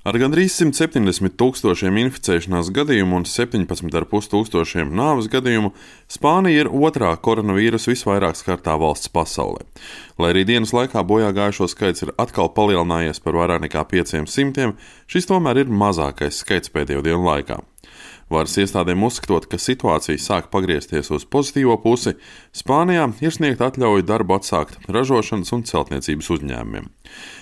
Ar gandrīz 170 tūkstošiem inficēšanās gadījumu un 17,5 tūkstošiem nāves gadījumu Spānija ir otrā koronavīrusa visvairāk skartā valsts pasaulē. Lai arī dienas laikā bojā gājušo skaits ir atkal palielinājies par vairāk nekā 500, šis tomēr ir mazākais skaits pēdējo dienu laikā. Varas iestādēm uzskatot, ka situācija sāk pagriezties uz pozitīvo pusi, Spānijā ir sniegta atļauja darbu atsākt ražošanas un celtniecības uzņēmumiem.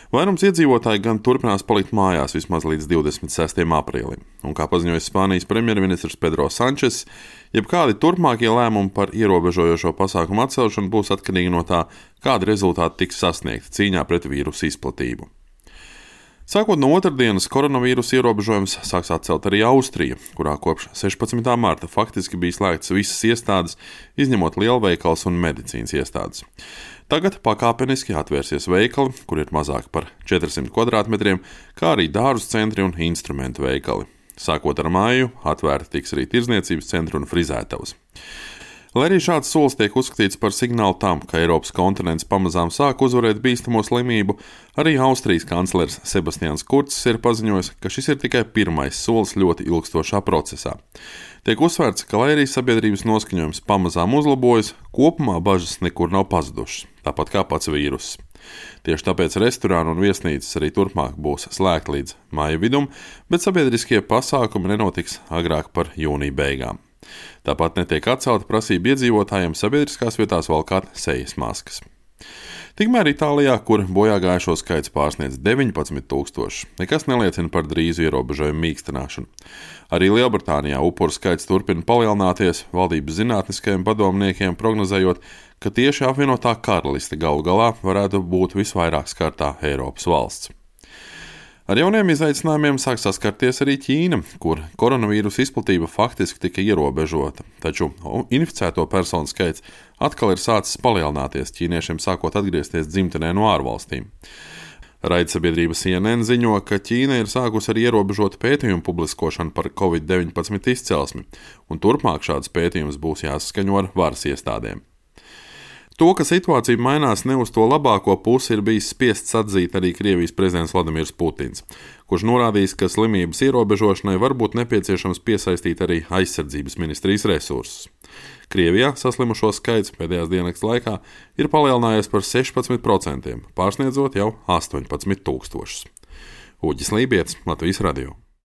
Vairums iedzīvotāji gan turpinās palikt mājās vismaz līdz 26. aprīlim. Un kā paziņoja Spānijas premjerministrs Pedro Sančes, jebkādi turpmākie lēmumi par ierobežojošo pasākumu atcelšanu būs atkarīgi no tā, kādi rezultāti tiks sasniegti cīņā pret vīrusu izplatību. Sākot no otrdienas, koronavīrusa ierobežojums sāks atcelt arī Austrija, kurā kopš 16. marta faktiski bija slēgtas visas iestādes, izņemot lielveikals un medicīnas iestādes. Tagad pakāpeniski atvērsies veikali, kur ir mazāk par 400 kvadrātmetriem, kā arī dārzu centri un instrumentu veikali. Sākot ar māju, atvērti tiks arī tirdzniecības centri un frizētavas. Lai arī šāds solis tiek uzskatīts par signālu tam, ka Eiropas kontinents pamazām sāk uzvarēt bīstamo slimību, arī Austrijas kanclers Sebastians Kurcis ir paziņojis, ka šis ir tikai pirmais solis ļoti ilgstošā procesā. Tiek uzsvērts, ka lai arī sabiedrības noskaņojums pamazām uzlabojas, kopumā bažas nekur nav pazudušas, tāpat kā pats vīruss. Tieši tāpēc restorāni un viesnīcas arī turpmāk būs slēgti līdz māja vidum, bet sabiedriskie pasākumi nenotiks agrāk par jūnija beigām. Tāpat netiek atcelta prasība iedzīvotājiem sabiedriskās vietās valkāt sejas maskas. Tikmēr Itālijā, kur bojā gājušo skaits pārsniedz 19,000, nekas neliecina par drīzu ierobežojumu mīkstināšanu. Arī Lielbritānijā upuru skaits turpina palielināties, valdības zinātniskajiem padomniekiem prognozējot, ka tieši apvienotā karaliste galu galā varētu būt visvairāk skartā Eiropas valsts. Ar jauniem izaicinājumiem sāk saskarties arī Ķīna, kur koronavīrusa izplatība faktiski tika ierobežota, taču inficēto personu skaits atkal ir sācis palielināties, ķīniešiem sākot atgriezties dzimtenē no ārvalstīm. Raidsabiedrība CNN ziņo, ka Ķīna ir sākusi ar ierobežotu pētījumu publiskošanu par Covid-19 izcelsmi, un turpmāk šāds pētījums būs jāsaskaņo ar varas iestādēm. To, ka situācija mainās ne uz to labāko pusi, ir bijis spiests atzīt arī Krievijas prezidents Vladimirs Putins, kurš norādījis, ka slimības ierobežošanai var būt nepieciešams piesaistīt arī aizsardzības ministrijas resursus. Krievijā saslimušo skaits pēdējās diennakts laikā ir palielinājies par 16%, pārsniedzot jau 18,000. Uģis Lībietis, Latvijas radio.